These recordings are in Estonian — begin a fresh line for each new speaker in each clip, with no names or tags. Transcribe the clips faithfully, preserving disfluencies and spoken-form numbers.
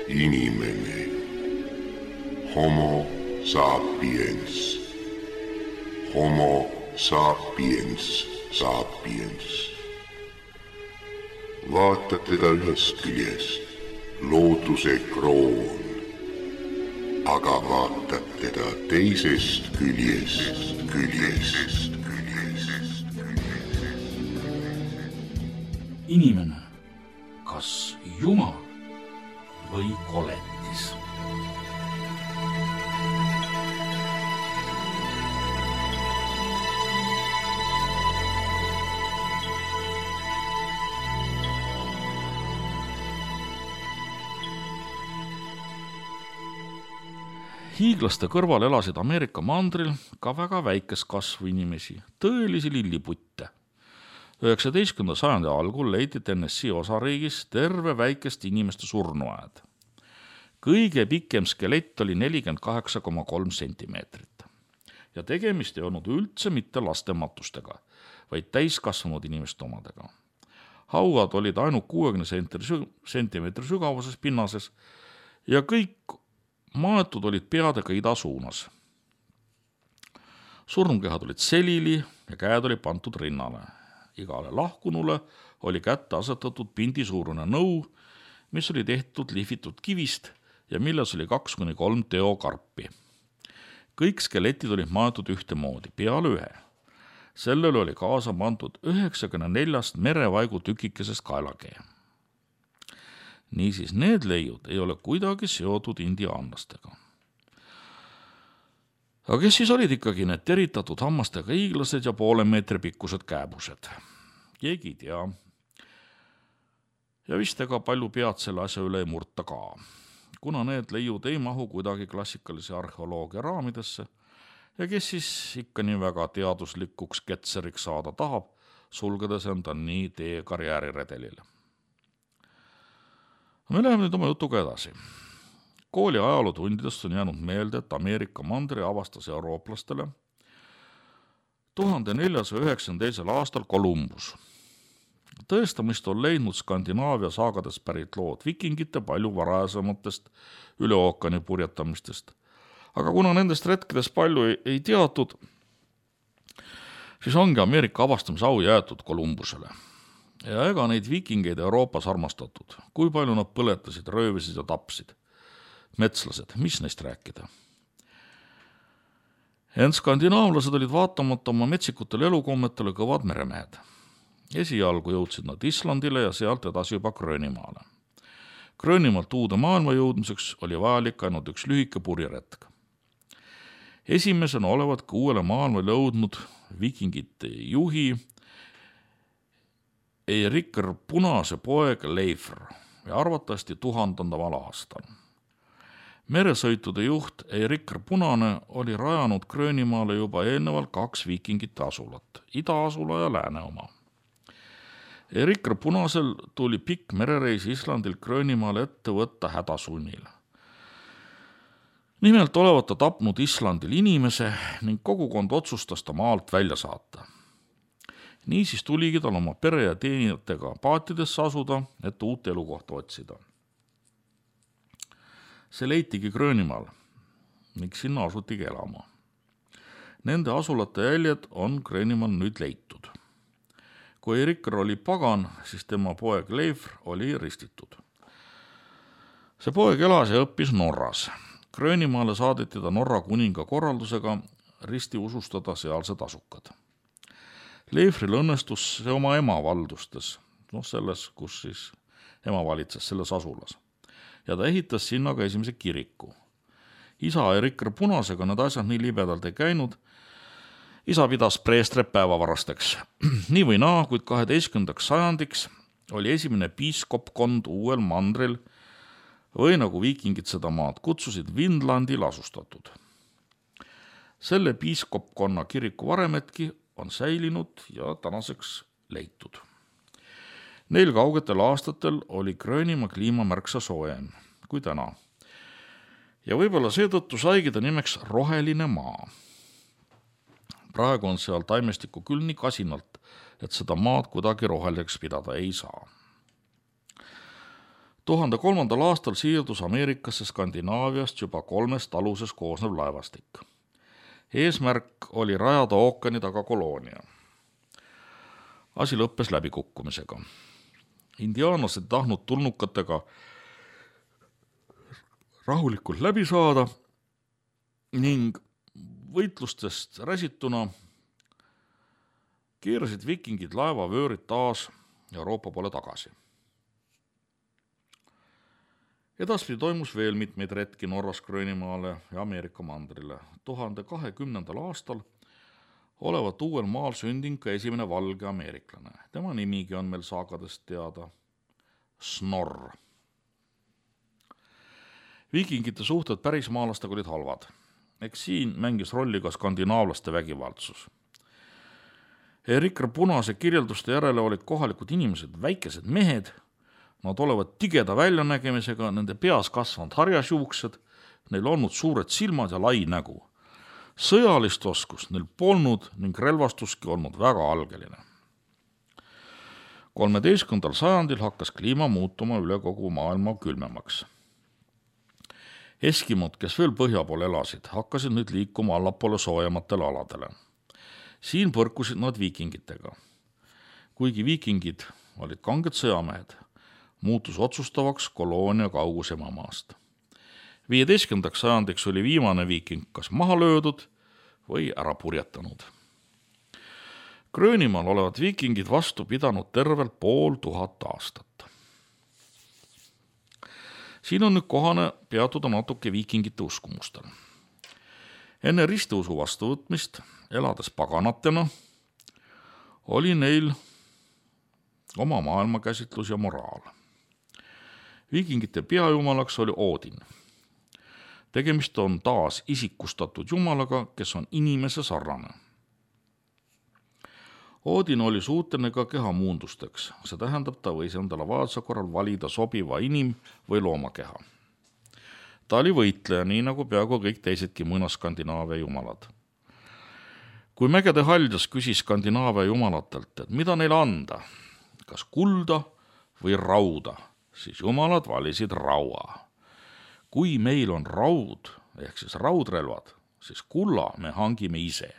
inimene, homo sapiens, homo sapiens, sapiens. Vaatad teda ühest küljest, looduse kroon, aga vaatad teda teisest küljest, küljest, küljest.
Inimene, kas Jumal või koletis? Hiiglaste kõrval elasid Ameerika mandril ka väga väikest kasvu inimesi, tõelisi lilliputte. üheksateistkümnenda sajandi algul leiti Tennessee osariigis terve väikest inimeste surnuaed. Kõige pikem skelett oli nelikümmend kaheksa koma kolm sentimeetrit. Ja tegemist ei olnud üldse mitte laste matustega, vaid täiskasvanud inimeste omadega. Hauad olid ainult kuuekümne sentimeetri sügavuses pinnases ja kõik maetud olid peadega ida suunas. Surnukehad olid selili ja käed oli pandud rinnale. Igale lahkunule oli kätte asetatud pindisuurune nõu, mis oli tehtud lihvitud kivist ja milles oli kaks kuni kolm teokarpi. Kõik skeletid olid maetud ühtemoodi, peale ühe. Sellele oli kaasa pandud üheksakümne neljast merevaigu tükikesest kaelakee. Niisiis need leiud ei ole kuidagi seotud indiaanlastega. Aga kes siis olid ikkagi need teritatud hammastega hiiglased ja poole meetri pikkused kääbused? Keegi ei tea. Ja vist ega palju pead selle asja üle ei murta ka, kuna need leiud ei mahu kuidagi klassikalise arheoloogia raamidesse ja kes siis ikka nii väga teaduslikuks ketseriks saada tahab, sulgedes enda nii tee karjääriredelile. Me läheme nüüd oma jutuga edasi. Kooli ajalootundidest on jäänud meelde, et Ameerika mandri avastas eurooplastele tuhande neljasaja üheksakümne teisel aastal Columbus. Tõestamist on leidnud Skandinaavia saagades pärit lood vikingite palju varajasematest üle ookeani purjetamistest. Aga kuna nendest retkidest palju ei, ei teatud, siis ongi Ameerika avastamise au jäetud Columbusele. Ja ega neid vikingeid Euroopas armastatud, kui palju nad põletasid, röövisid ja tapsid. Metslased, mis neist rääkida? Ent skandinaavlased olid vaatamata oma metsikutele elukommetele kõvad meremehed. Esialgu jõudsid nad Islandile ja sealt edasi juba Gröönimaale. Gröönimaalt uude maailma jõudmiseks oli vajalik ainult üks lühike purjeretk. Esimesena olevat ka uuele maailmale jõudnud vikingite juhi Eirikr Punase poeg Leifr ja arvatavasti tuhandendamal aastal. Meresõitude juht Eirikr Punane oli rajanud Gröönimaale juba eelnevalt kaks vikingite asulat, idaasula ja lääne oma. Eirikr Punasel tuli pikk merereis Islandil Gröönimaale ette võtta hädasunnil. Nimelt olevat ta tapnud Islandil inimese ning kogukond otsustas ta maalt välja saata. Niisiis tuligi tal oma pere ja teenijatega paatidesse asuda, et uut elukohta otsida. See leitigi Gröönimaal ning sinna asutigi elama. Nende asulate jäljed on Gröönimaal nüüd leitud. Kui Eirikr oli pagan, siis tema poeg Leifr oli ristitud. See poeg elas ja õppis Norras. Gröönimaale saadeti ta Norra kuninga korraldusega risti usustada sealsed asukad. Leifril õnnestus see oma ema valdustes, noh selles, kus siis ema valitses, selles asulas. Ja ta ehitas sinna ka esimese kiriku. Isa Eirikr Punasega need asjad nii libedalt ei käinud. Isa pidas preestret päevavarasteks. Nii või naa, kuid kaheteistkümnendaks sajandiks oli esimene piiskopkond uuel mandril või nagu viikingid seda maad kutsusid Vindlandil asustatud. Selle piiskopkonna kiriku varemetki on säilinud ja tänaseks leitud. Neil kaugetel aastatel oli Gröönimaa kliima märksa soojem kui täna. Ja võib-olla seetõttu saigi ta nimeks roheline maa. Praegu on seal taimestiku küll nii kasinalt, et seda maad kuidagi roheliseks pidada ei saa. tuhande kolmandal aastal siirdus Ameerikasse Skandinaaviast juba kolmest aluses koosnev laevastik. Eesmärk oli rajada ookeani taga koloonia. Asi lõppes läbikukkumisega. Indiaanlased tahtnud tulnukatega rahulikult läbi saada ning võitlustest räsituna keerasid vikingid laevavöörid taas Euroopa poole tagasi. Edaspidi toimus veel mitmeid retki Norras Gröönimaale ja Ameerika mandrile. tuhande kahekümnendal aastal olevat uuel maal sündinud ka esimene valge ameeriklane. Tema nimigi on meil saagadest teada. Snorr. Viikingite suhted pärismaalastega olid halvad. Eks siin mängis rolli ka skandinaavlaste vägivaldsus. Rikra Punase kirjelduste järele olid kohalikud inimesed väikesed mehed. Nad olevat tigeda väljanägemisega, nende peas kasvanud harjasjuuksed, neil olnud suured silmad ja lai nägu. Sõjalist oskust neil polnud ning relvastuski olnud väga algeline. kolmeteistkümnendal sajandil hakkas kliima muutuma üle kogu maailma külmemaks. Eskimod, kes veel põhja pool elasid, hakkasid nüüd liikuma allapoole soojematele aladele. Siin põrkusid nad viikingitega. Kuigi viikingid olid kanged sõjamehed, muutus otsustavaks koloonia kaugus emamaast. viieteistkümnendaks sajandiks oli viimane viiking kas maha löödud või ära purjetanud. Gröönimaal olevat viikingid vastu pidanud tervelt pool tuhat aastat. Siin on nüüd kohane peatuda natuke viikingite uskumustel. Enne ristiusu vastuvõtmist, elades paganatena, oli neil oma maailmakäsitlus ja moraal. Viikingite peajumalaks oli Odin. Tegemist on taas isikustatud jumalaga, kes on inimese sarnane. Odin oli suuteline ka kehamuundusteks, see tähendab, ta võis endale vajaduse korral valida sobiva inim- või loomakeha. Ta oli võitleja, nii nagu peaaegu kõik teisedki Mõna-Skandinaavia jumalad. Kui mägede haljas küsis Skandinaavia jumalatelt, et mida neile anda, kas kulda või rauda, siis jumalad valisid raua. Kui meil on raud, ehk siis raudrelvad, siis kulla me hangime ise.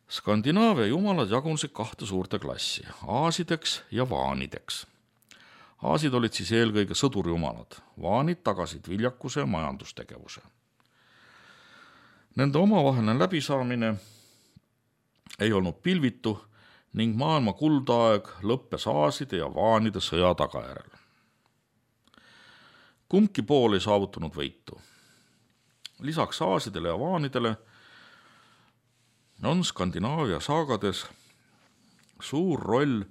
Skandinaavia jumalad jagunesid kahte suurte klassi, aasideks ja vaanideks. Aasid olid siis eelkõige sõdurjumalad, vaanid tagasid viljakuse ja majandustegevuse. Nende omavaheline läbisaamine ei olnud pilvitu ning maailma kuldaeg lõppes aaside ja vaanide sõja tagajärel. Kumbki pool ei saavutanud võitu. Lisaks aasidele ja vaanidele on Skandinaavia saagades suur roll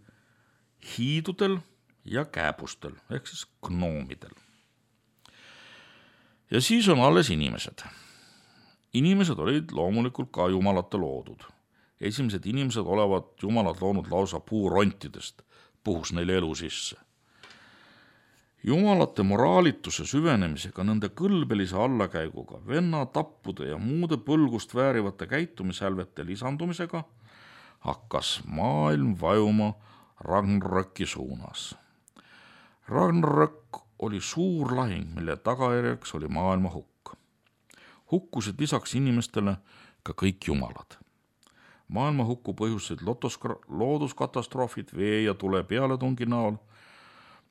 hiidudel ja kääbustel, ehk siis gnoomidel. Ja siis on alles inimesed. Inimesed olid loomulikult ka jumalate loodud. Esimesed inimesed olevat jumalad loonud lausa puurontidest, puhus neile elu sisse. Jumalate moraalituse süvenemisega, nende kõlbelise allakäiguga, venna tappude ja muude põlgust väärivate käitumishälvete lisandumisega hakkas maailm vajuma Ragnaröki suunas. Ragnarök oli suur lahing, mille tagajärjeks oli maailma hukk. Hukkusid lisaks inimestele ka kõik jumalad. Maailma hukku põhjustasid looduskatastroofid vee ja tule pealetungi näol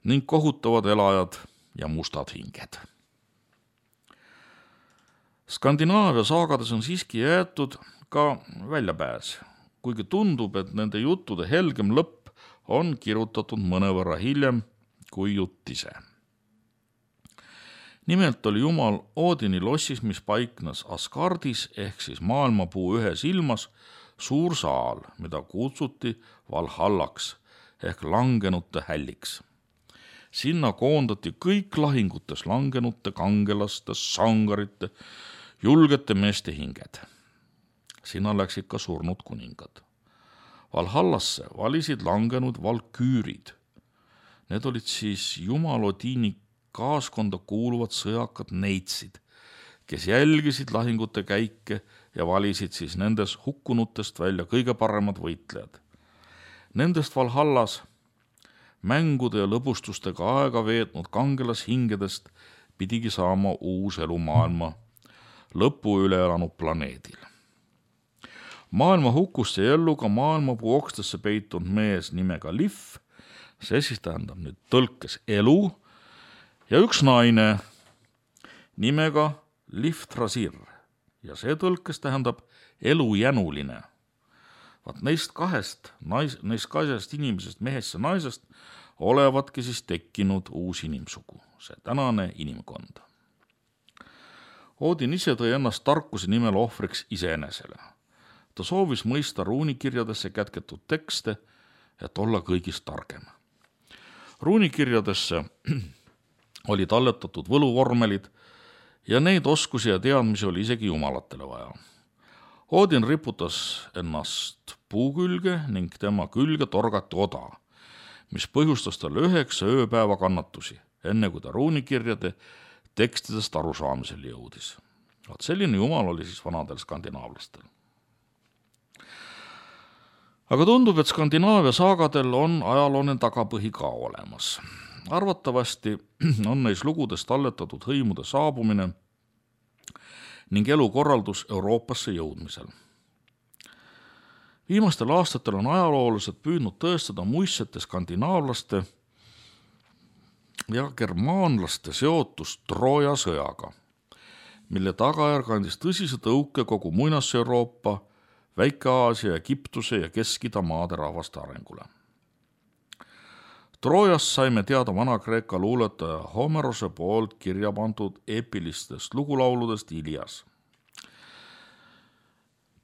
ning kohutavad elajad ja mustad hinged. Skandinaavia saagades on siiski jäetud ka väljapääs, kuigi tundub, et nende juttude helgem lõpp on kirjutatud mõnevõrra hiljem kui jutt ise. Nimelt oli jumal Odini lossis, mis paiknes Asgardis ehk siis maailmapuu ühes ilmas, suur saal, mida kutsuti Valhallaks ehk langenute hälliks. Sinna koondati kõik lahingutes langenute, kangelaste, sangarite, julgete meeste hinged. Sinna läksid ka surnud kuningad. Valhallasse valisid langenud valküürid. Need olid siis jumal Odini kaaskonda kuuluvad sõjakad neitsid, kes jälgisid lahingute käike ja valisid siis nendes hukkunutest välja kõige paremad võitlejad. Nendest Valhallas mängude ja lõbustustega aega veetnud kangelashingedest pidigi saama uus elu maailma lõpu üle elanud planeedil. Maailma hukust jäi ellu ka maailmapuu okstesse peitunud mees nimega Liv, see siis tähendab nüüd tõlkes elu, ja üks naine nimega Liv Trasir ja see tõlkes tähendab elujänuline. Vaat neist kahest, nais, neist kahest inimesest, mehest ja naisest, olevatki siis tekkinud uus inimsugu, see tänane inimkond. Odin ise tõi ennast tarkuse nimel ohvriks iseenesele. Ta soovis mõista ruunikirjadesse kätketud tekste, et olla kõigist targem. Ruunikirjadesse oli talletatud võluvormelid ja neid oskusi ja teadmisi oli isegi jumalatele vaja. Odin riputas ennast puu külge ning tema külge torgati oda, mis põhjustas talle üheksa ööpäeva kannatusi, enne kui ta ruunikirjade tekstidest arusaamisel jõudis. Vaat selline jumal oli siis vanadel skandinaavlastel. Aga tundub, et Skandinaavia saagadel on ajalooline tagapõhi ka olemas. Arvatavasti on neis lugudes talletatud hõimude saabumine ning elukorraldus Euroopasse jõudmisel. Viimastel aastatel on ajaloolased püüdnud tõestada muistsete skandinaavlaste ja germaanlaste seotust Trooja sõjaga, mille tagajärg andis tõsise tõuke kogu Muinas-Euroopa, Väike-Aasia, Egiptuse ja Kesk-Ida maade rahvaste arengule. Troojast saime teada Vana-Kreeka luuletaja Homerose poolt kirja pandud eepilistest lugulauludest Ilias.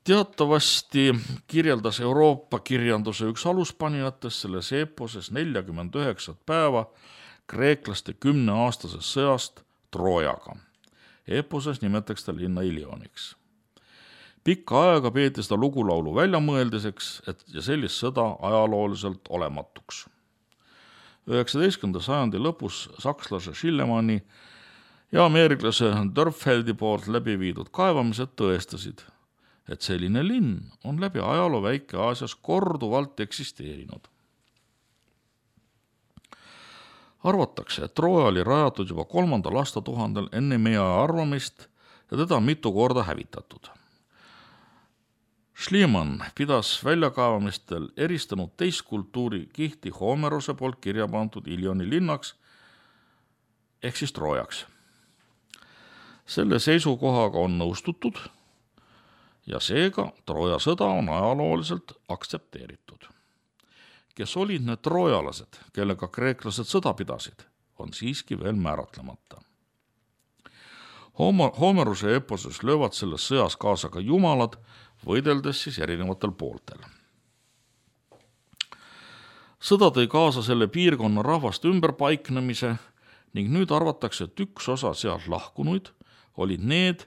Teatavasti kirjeldas Euroopa kirjanduse üks aluspanijatest selles eeposes nelikümmend üheksa päeva kreeklaste kümneaastasest sõjast Troojaga. Eeposes nimetaks ta linna Ilioniks. Pikka aega peeti seda lugulaulu väljamõeldiseks et ja sellist sõda ajalooliselt olematuks. üheksateistkümnenda sajandi lõpus sakslase Schillemanni ja ameeriklase Dörpfeldi poolt läbi viidud kaevamised tõestasid, et selline linn on läbi ajaloo Väike-Aasias korduvalt eksisteerinud. Arvatakse, et Trooja oli rajatud juba kolmandal aastatuhandel enne meie arvamist ja teda mitu korda hävitatud. Schliemann pidas väljakaevamistel eristanud teist kultuuri kihti Homerose poolt kirja pandud Ilioni linnaks ehk siis Troojaks. Selle seisukohaga on nõustutud ja seega Trooja sõda on ajalooliselt aksepteeritud. Kes olid need troojalased, kellega kreeklased sõda pidasid, on siiski veel määratlemata. Homeruse eposes löövad selles sõjas kaasa ka jumalad, võideldes siis erinevatel pooltel. Sõda tõi kaasa selle piirkonna rahvaste ümberpaiknemise ning nüüd arvatakse, et üks osa sealt lahkunuid olid need,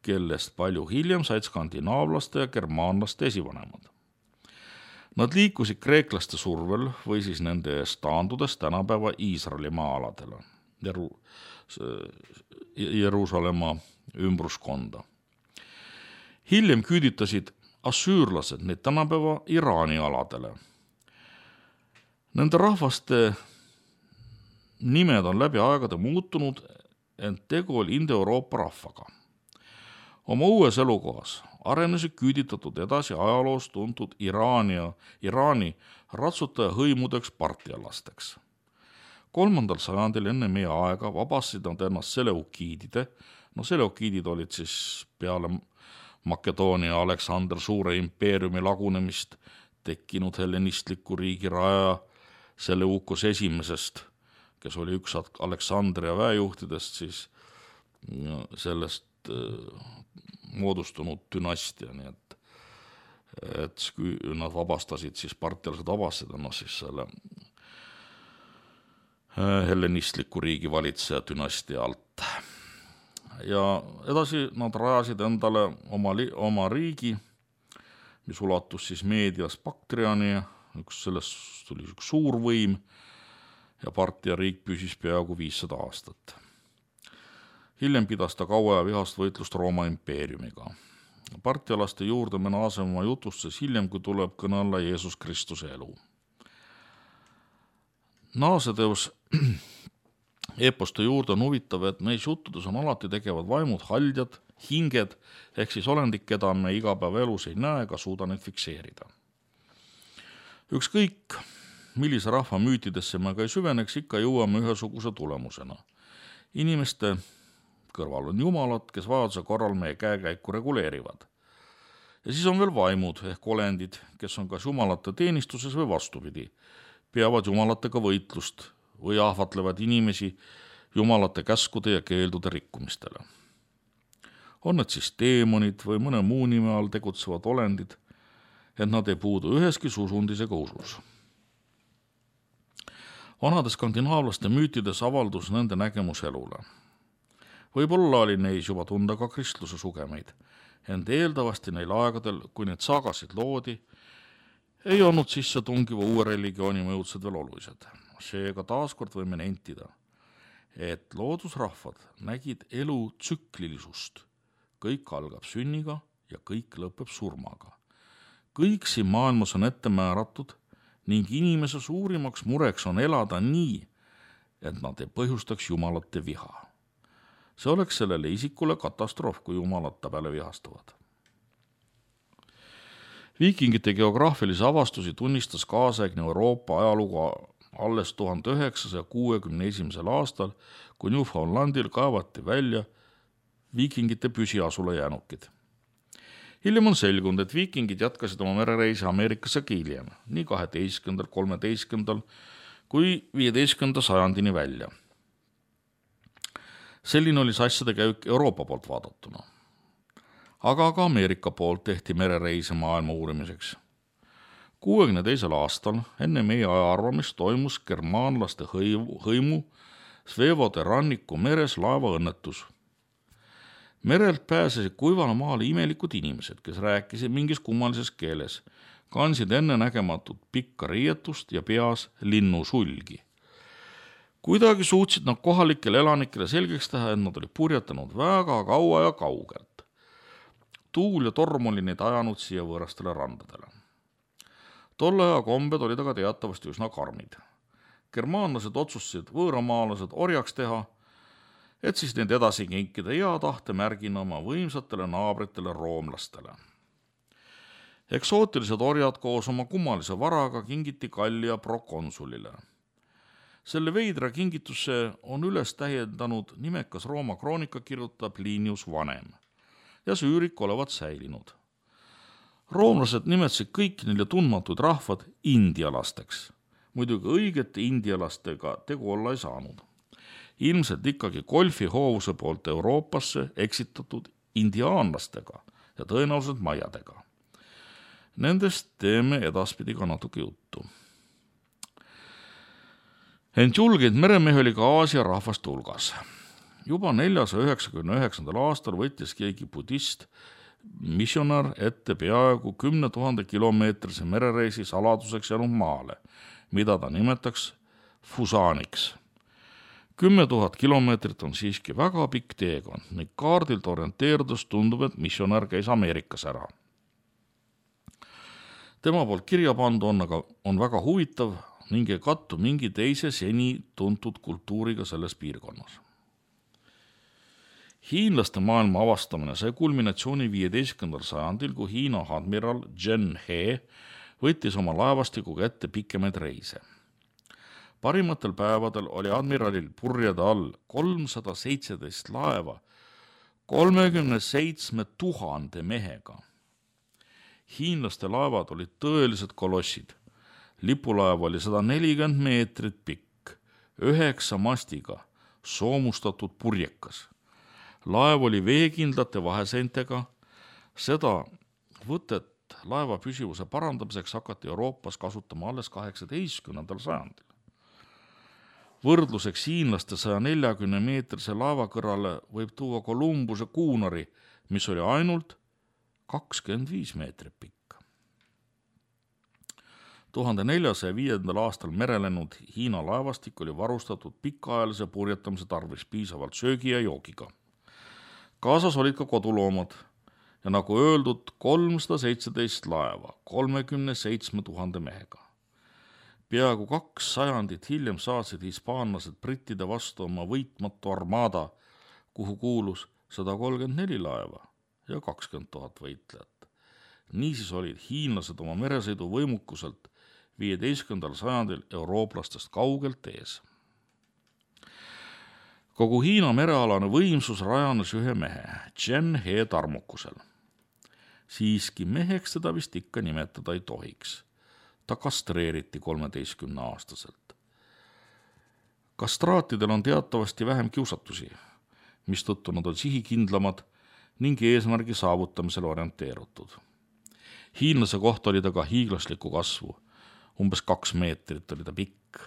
kellest palju hiljem said skandinaavlaste ja germaanlaste esivanemad. Nad liikusid kreeklaste survel või siis nende eest taandudes tänapäeva Iisraeli maa-aladele, Jeru- Jeruusalemma ümbruskonda. Hiljem küüditasid assüürlased neid tänapäeva Iraani aladele. Nende rahvaste nimed on läbi aegade muutunud, ent tegu oli Inde-Euroopa rahvaga. Oma uues elukohas arenesid küüditatud edasi ajaloos tuntud Iraani ja Iraani ratsutaja hõimudeks partialasteks. Kolmandal sajandil enne meie aega vabastasid nad ennast seleukiidide, no seleukiidid olid siis peale Makedoonia Aleksander Suure impeeriumi lagunemist tekkinud hellenistliku riigi raja Seleukos esimesest, kes oli üks Aleksandria väejuhtidest, siis sellest moodustunud dünastia, nii et, et nad vabastasid, siis partialased vabastasid ennast siis selle hellenistliku riigi valitseja dünastia alt. Ja edasi nad rajasid endale oma, li, oma riigi, mis ulatus siis Meedias Baktriani, üks sellest tuli üks suur võim ja partia riik püsis peaaegu viissada aastat. Hiljem pidas ta kaua ja vihast võitlust Rooma impeeriumiga. Partialaste juurde me naaseme oma jutustes hiljem, kui tuleb kõne alla Jeesus Kristuse elu. Naaseteos eposte juurde on huvitav, et meis juttudes on alati tegevad vaimud haldjad, hinged, ehk siis olendid, keda me igapäevaelus ei näe ega suuda neid fikseerida. Ükskõik, millise rahva müütidesse me ka ei süveneks, ikka jõuame ühesuguse tulemusena. Inimeste kõrval on jumalad, kes vajaduse korral meie käekäiku reguleerivad. Ja siis on veel vaimud ehk olendid, kes on kas jumalate teenistuses või vastupidi, peavad jumalatega võitlust või ahvatlevad inimesi jumalate käskude ja keeldude rikkumistele. On need siis teemonid või mõne muu nime all tegutsevad olendid, et nad ei puudu üheski susundis ega usus. Vanade skandinaavlaste müütides avaldus nende nägemus elule. Võib-olla oli neis juba tunda ka kristluse sugemeid, ent eeldavasti neil aegadel, kui need saagasid loodi, ei olnud sisse tungiva uue religiooni mõjutsed veel olulised. Seega taaskord võime nentida, et loodusrahvad nägid elu tsüklilisust. Kõik algab sünniga ja kõik lõpeb surmaga. Kõik siin maailmas on ette määratud ning inimese suurimaks mureks on elada nii, et nad ei põhjustaks jumalate viha. See oleks sellele isikule katastroof, kui jumalad ta peale vihastavad. Viikingite geograafilisi avastusi tunnistas kaasaegne Euroopa ajalugu alles tuhande üheksasaja kuuekümne esimesel aastal, kui Newfoundlandil kaevati välja viikingite püsiasula jäänukid. Hiljem on selgunud, et viikingid jätkasid oma merereisi Ameerikasse hiljem, nii kaheteistkümnendal, kolmeteistkümnendal kui viieteistkümnenda sajandini välja. Selline oli asjade käik Euroopa poolt vaadatuna. Aga ka Ameerika poolt tehti merereise maailma uurimiseks. kuuekümne teisel aastal enne meie ajaarvamist toimus germaanlaste hõimu Svevode ranniku meres laevaõnnetus. Merelt pääsesid kuivale maale imelikud inimesed, kes rääkisid mingis kummalises keeles, kandsid enne nägematut pikka riietust ja peas linnusulgi. Kuidagi suutsid nad kohalikele elanikele selgeks teha, et nad olid purjetanud väga kaua ja kaugelt. Tuul ja torm oli neid ajanud siia võõrastele randadele. Tolle aja kombed olid aga teatavasti üsna karmid. Germaanlased otsustasid võõramaalased orjaks teha, et siis neid edasi kinkida hea tahte märgina oma võimsatele naabritele roomlastele. Eksootilised orjad koos oma kummalise varaga kingiti Gallia prokonsulile. Selle veidra kingitusse on üles täiendanud nimekas Rooma kroonika kirjutab Plinius Vanem ja see üürik olevat säilinud. Roomlased nimetasid kõik neile tundmatud rahvad indialasteks. Muidugi õigete indialastega tegu olla ei saanud. Ilmselt ikkagi Golfi hoovuse poolt Euroopasse eksitatud indiaanlastega ja tõenäoliselt maiadega. Nendest teeme edaspidi ka natuke juttu. Ent julgeid meremehe oli ka Aasia rahvaste hulgas. Juba neljasaja üheksakümne üheksandal aastal võttis keegi budist missionar ette peaaegu kümne tuhande kilomeetrise merereisi saladuseks jäänud maale, mida ta nimetaks Fusaaniks. Kümme tuhat kilomeetrit on siiski väga pikk teekond ning kaardilt orienteerudus tundub, et missionar käis Ameerikas ära. Tema poolt kirja pandu on, aga on väga huvitav ning ei kattu mingi teise seni tuntud kultuuriga selles piirkonnas. Hiinlaste maailma avastamine sai kulminatsiooni viieteistkümnendal sajandil, kui Hiina admiral Zhen He võttis oma laevastikuga ette pikemaid reise. Parimatel päevadel oli admiralil purjede all kolmsada seitseteist laeva kolmekümne seitsme tuhande mehega. Hiinlaste laevad olid tõelised kolossid. Lipulaev oli sada nelikümmend meetrit pikk, üheksa mastiga, soomustatud purjekas. Laev oli veekindlate vaheseintega. Seda võtet laeva püsivuse parandamiseks hakati Euroopas kasutama alles kaheksateistkümnendal sajandil. Võrdluseks hiinlaste saja neljakümne meetrise laeva kõrvale võib tuua Kolumbuse kuunari, mis oli ainult kakskümmend viis meetrit pikk. tuhande neljasaja viiendal aastal merelennud Hiina laevastik oli varustatud pikaajalise purjetamise tarvis piisavalt söögi ja joogiga. Kaasas olid ka koduloomad ja nagu öeldud kolmsada seitseteist laeva kolmekümne seitsme tuhande mehega. Peaaegu kaks sajandit hiljem saatsid hispaanlased brittide vastu oma võitmatu armada, kuhu kuulus sada kolmkümmend neli laeva ja kakskümmend tuhat võitlejat. Niisiis olid hiinlased oma meresõidu võimukuselt viieteistkümnendal sajandil eurooplastest kaugelt ees. Kogu Hiina merealane võimsus rajanes ühe mehe, Chen He tarmukusel. Siiski meheks teda vist ikka nimetada ei tohiks. Ta kastreeriti kolmeteistkümne aastaselt. Kastraatidel on teatavasti vähem kiusatusi, mistõttu nad on sihikindlamad ning eesmärgi saavutamisel orienteerutud. Hiinlase kohta oli ta ka hiiglaslikku kasvu, umbes kaks meetrit oli ta pikk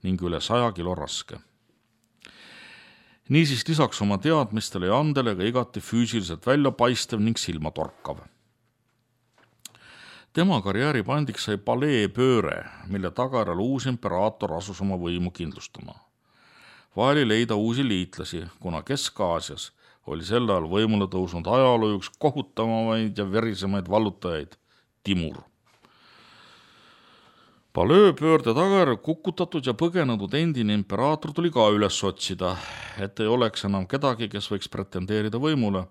ning üle saja kilo raske. Niisiis lisaks oma teadmistele ja andele ka igati füüsiliselt välja paistev ning silmatorkav. Tema karjääri pandiks sai palee pööre, mille tagajärjel uus imperaator asus oma võimu kindlustama. Vaeli leida uusi liitlasi, kuna Kesk-Aasias oli sel ajal võimule tõusnud ajaloo üks kohutavamaid ja verisemaid vallutajaid, Timur. Palee pöörde tagajärjel kukutatud ja põgenenud endine imperaator tuli ka üles otsida, et ei oleks enam kedagi, kes võiks pretendeerida võimule.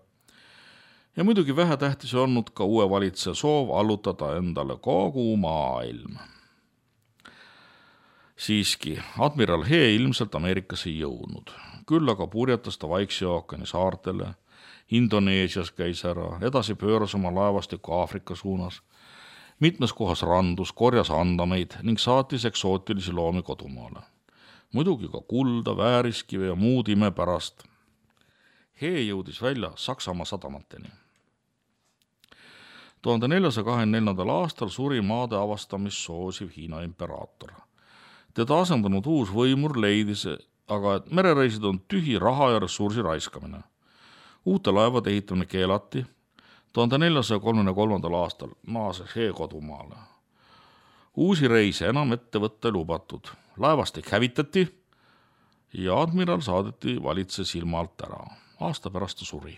Ja muidugi vähetähtis olnud ka uue valitseja soov allutada endale kogu maailm. Siiski, admiral He ilmselt Ameerikas ei jõudnud. Küll aga purjetas ta Vaikse ookeani saartele, Indoneesias käis ära, edasi pööras oma laevastiku Aafrika suunas, mitmes kohas randus, korjas andameid ning saatis eksootilisi loomi kodumaale. Muidugi ka kulda, vääriskive ja muud ime pärast. He jõudis välja Saksamaa sadamateni. tuhande neljasaja kahekümne neljandal aastal suri maade avastamist soosiv Hiina imperaator. Teda asendanud uus võimur leidis, aga et merereisid on tühi raha ja ressursi raiskamine. Uute laevade ehitamine keelati. tuhande neljasaja kolmekümne kolmandal aastal naases He kodumaale. Uusi reise enam ette võtta ei lubatud. Laevastik hävitati ja admiral saadeti valitse silma alt ära. Aasta pärast ta suri.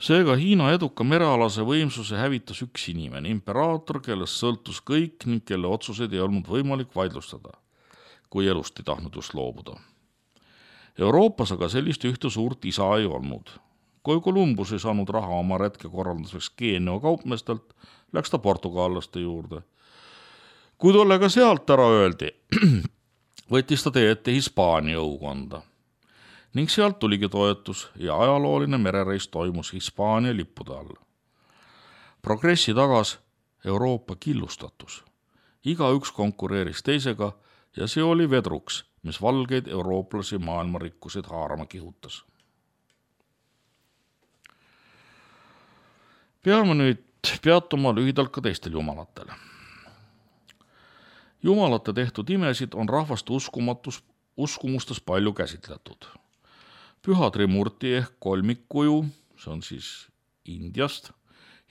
Seega Hiina eduka merealase võimsuse hävitas üks inimene, imperaator, kellest sõltus kõik ning kelle otsuseid ei olnud võimalik vaidlustada, kui elust ei tahtnud just loobuda. Euroopas aga sellist ühte suurt isa ei olnud. Kui Kolumbus ei saanud raha oma retke korralduseks Geenio kaupmestelt, läks ta portugallaste juurde. Kui tollega sealt ära öeldi, võttis ta tee ette Hispaania õukonda. Ning sealt tuligi toetus ja ajalooline merereis toimus Hispaania lippude all. Progressi tagas Euroopa killustatus. Iga üks konkureeris teisega ja see oli vedruks, mis valgeid eurooplasi maailmarikkusid haarama kihutas. Peame nüüd peatuma lühidalt ka teistel jumalatel. Jumalate tehtud imesid on rahvaste uskumatus, uskumustes palju käsitletud. Püha Trimurti ehk kolmikkuju, see on siis Indiast,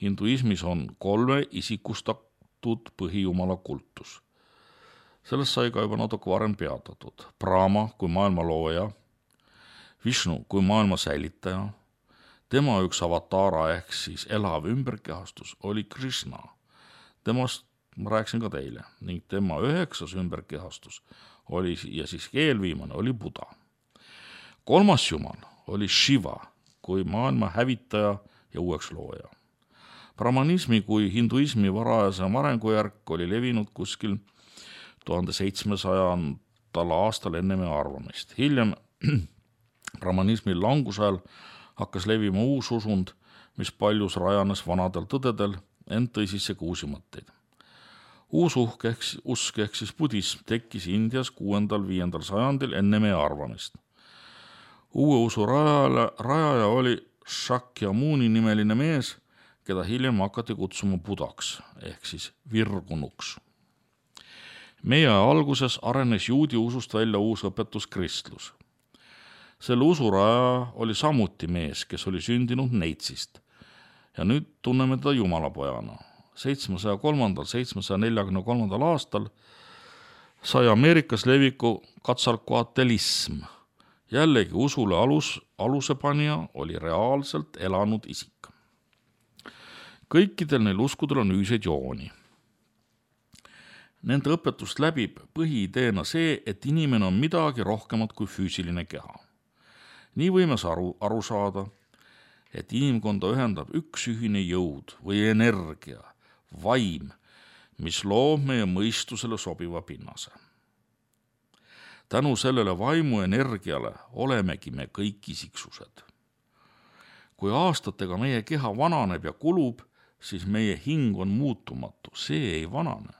hinduismis on kolme isikustatud põhijumala kultus. Sellest sai ka juba natuke varem peatatud. Brahma kui maailma looja, Vishnu kui maailma säilitaja, tema üks avatara ehk siis elav ümberkehastus oli Krishna. Temast ma rääkisin ka teile ning tema üheksas ümberkehastus oli ja siis eelviimane oli Buddha. Kolmas jumal oli Shiva kui maailma hävitaja ja uueks looja. Brahmanismi kui hinduismi varajasem arengujärk oli levinud kuskil tuhande seitsmesajandal aastal enne meie arvamist. Hiljem brahmanismi langusajal hakkas levima uus usund, mis paljus rajanes vanadel tõdedel, ent tõi sisse ka uusi mõtteid. Uus uhk ehk, usk ehk siis budism tekkis Indias kuuendal viiendal sajandil enne meie arvamist. Uue usu rajaja, rajaja oli Shakyamuni nimeline mees, keda hiljem hakati kutsuma Buddhaks ehk siis virgunuks. Meie alguses arenes juudi usust välja uus õpetus kristlus. Selle usurajaja oli samuti mees, kes oli sündinud neitsist ja nüüd tunneme teda jumalapojana. seitsmesaja kolmandal seitsmesaja neljakümne kolmandal aastal sai Ameerikas leviku katsalkoatelism. Jällegi usule alus, alusepanija oli reaalselt elanud isik. Kõikidel neil uskudel on ühiseid jooni. Nende õpetust läbib põhiideena see, et inimene on midagi rohkemat kui füüsiline keha. Nii võime aru, aru saada, et inimkonda ühendab üks ühine jõud või energia, vaim, mis loob meie mõistusele sobiva pinnase. Tänu sellele vaimu energiale olemegi me kõik isiksused. Kui aastatega meie keha vananeb ja kulub, siis meie hing on muutumatu, see ei vanane.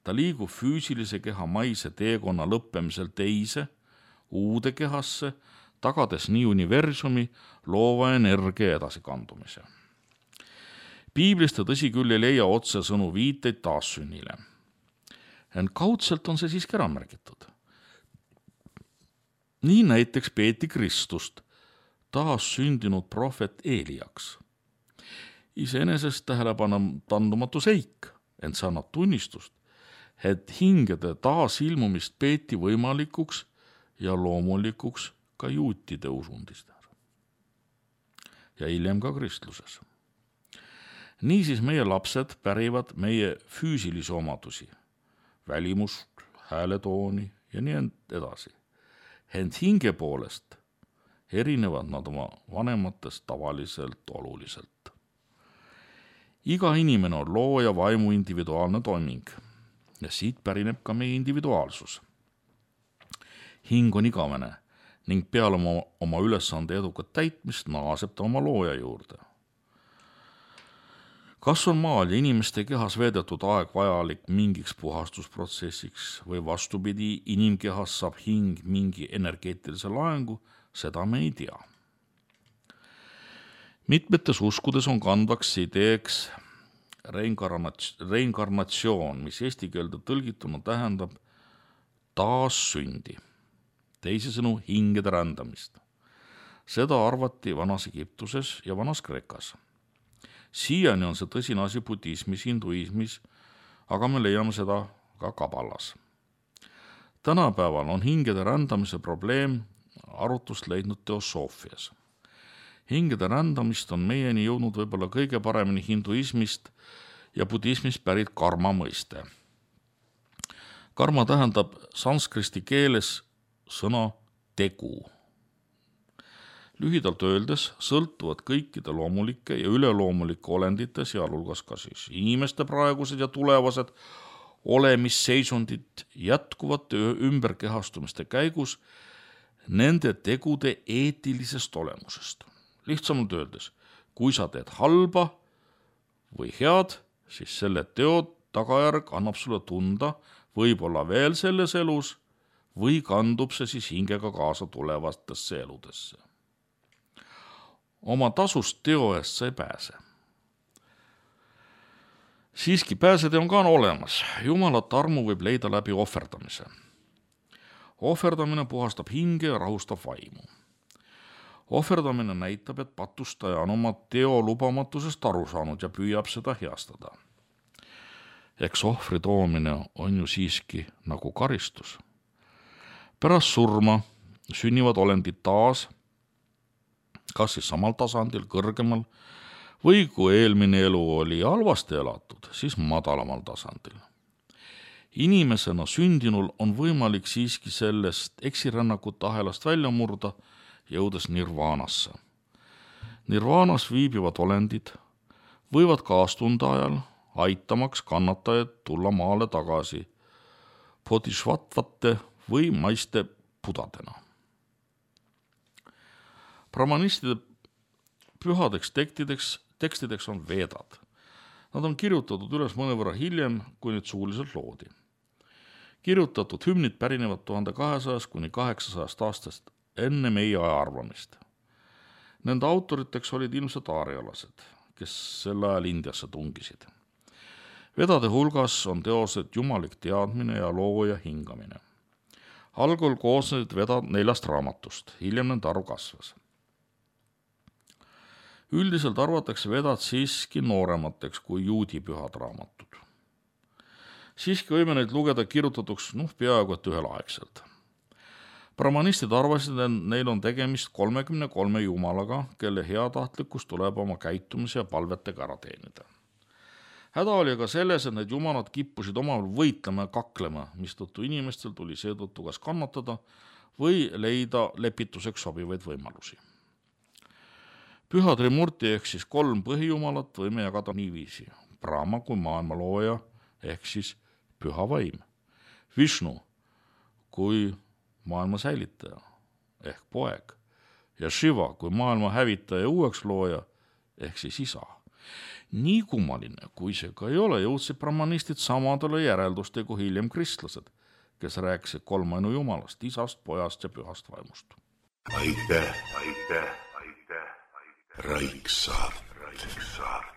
Ta liigub füüsilise keha maise teekonna lõppemisel teise, uude kehasse, tagades nii universumi loova energia edasikandumise. Piiblist tõsi küll ei leia otsesõnu viiteid taassünnile. Ent kaudselt on see siiski ära märgitud. Nii näiteks peeti Kristust taassündinud prohvet Eeliaks. Iseenesest tähelepandumatu seik, ent see annab tunnistust, et hingede taasilmumist peeti võimalikuks ja loomulikuks ka juutide usundistel. Ja hiljem ka kristluses. Niisiis meie lapsed pärivad meie füüsilisi omadusi, välimust, hääletooni ja nii edasi. Ent hinge poolest erinevad nad oma vanematest tavaliselt oluliselt. Iga inimene on looja vaimu individuaalne toiming ja siit pärineb ka meie individuaalsus. Hing on igavene ning peale oma, oma ülesande edukat täitmist naaseb ta oma looja juurde. Kas on maal ja inimeste kehas veedetud aeg vajalik mingiks puhastusprotsessiks või vastupidi, inimkehas saab hing mingi energeetilise laengu, seda me ei tea. Mitmetes uskudes on kandvaks ideeks reinkarnatsioon, mis eesti keelde tõlgituna tähendab taassündi, teisisõnu hingede rändamist. Seda arvati vanas Egiptuses ja vanas Kreekas. Siiani on see tõsine asi budismis, hinduismis, aga me leiame seda ka kabalas. Tänapäeval on hingede rändamise probleem arutust leidnud teosoofias. Hingede rändamist on meieni jõudnud võib-olla kõige paremini hinduismist ja budismist pärit karma mõiste. Karma tähendab sanskristi keeles sõna tegu. Lühidalt öeldes sõltuvad kõikide loomulike ja üleloomulike olendite, sealhulgas ka siis inimeste praegused ja tulevased olemisseisundid jätkuvate ümberkehastumiste käigus nende tegude eetilisest olemusest. Lihtsamalt öeldes, kui sa teed halba või head, siis selle teo tagajärg annab sulle tunda võib-olla veel selles elus või kandub see siis hingega kaasa tulevastesse eludesse. Oma tasust teo eest sa ei pääse. Siiski pääsede on ka olemas. Jumalat armu võib leida läbi ohverdamise. Ohverdamine puhastab hinge ja rahustab vaimu. Ohverdamine näitab, et patustaja on oma teo lubamatusest aru saanud ja püüab seda heastada. Eks ohvri toomine on ju siiski nagu karistus. Pärast surma sünnivad olendid taas, kas siis samal tasandil, kõrgemal, või kui eelmine elu oli halvasti elatud, siis madalamal tasandil. Inimesena sündinul on võimalik siiski sellest eksirännakute ahelast välja murda, jõudes nirvaanasse. Nirvaanas viibivad olendid võivad kaastunde ajal aitamaks kannatajaid tulla maale tagasi bodhisattvatte või maiste budadena. Brahmanistide pühadeks tekstideks, tekstideks on veedad. Nad on kirjutatud üles mõnevõrra hiljem, kui nüüd suuliselt loodi. Kirjutatud hümnid pärinevad tuhande kahesajast kuni kaheksasajast aastast enne meie aja arvamist. Nende autoriteks olid ilmselt aarialased, kes sel ajal Indiasse tungisid. Vedade hulgas on teosed jumalik teadmine ja looja hingamine. Algul koosnesid vedad neljast raamatust, hiljem nende arv kasvas. Üldiselt arvatakse vedad siiski nooremateks kui juudi pühad raamatud. Siiski võime neid lugeda kirjutatuks noh, peaaegu et ühelaegselt. Brahmanistid arvasid, et neil on tegemist kolmekümne kolme jumalaga, kelle heatahtlikkus tuleb oma käitumise ja palvetega ära teenida. Häda oli aga selles, et need jumalad kippusid omavahel võitlema ja kaklema, mistõttu inimestel tuli seetõttu kas kannatada või leida lepituseks sobivaid võimalusi. Püha Trimurti ehk siis kolm põhijumalat võime jagada niiviisi. Brahma kui maailma looja ehk siis püha vaim. Vishnu kui maailma säilitaja ehk poeg ja Shiva kui maailma hävitaja ja uueks looja ehk siis isa. Nii kummaline, kui see ka ei ole, jõudsid brahmanistid samadele järelduste kui hiljem kristlased, kes rääkisid kolmainu jumalast, isast, pojast ja pühast vaimust.
Aitäh, aitäh, aitäh, aitäh. Raiksaart, Raiksaart.